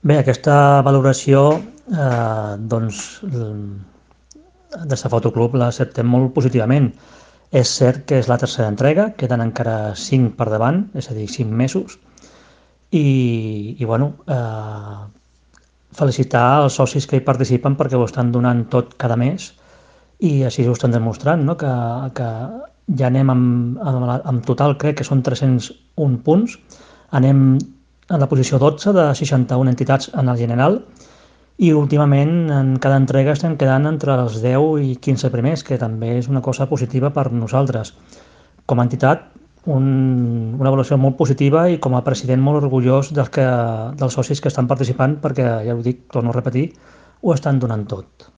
Bé, aquesta valoració, doncs, des de Fotoclub l'acceptem molt positivament. És cert que és la tercera entrega, queden encara 5 per davant, és a dir, 5 mesos, i bueno, felicitar els socis que hi participen perquè ho estan donant tot cada mes i així ho estan demostrant, no? Que ja anem amb total, crec que són 301 punts, anem en la posició 12 de 61 entitats en el general i últimament en cada entrega estem quedant entre els 10 i 15 primers, que també és una cosa positiva per nosaltres. Com a entitat, una avaluació molt positiva i com a president molt orgullós dels socis que estan participant perquè, ja ho dic, torno a repetir, ho estan donant tot.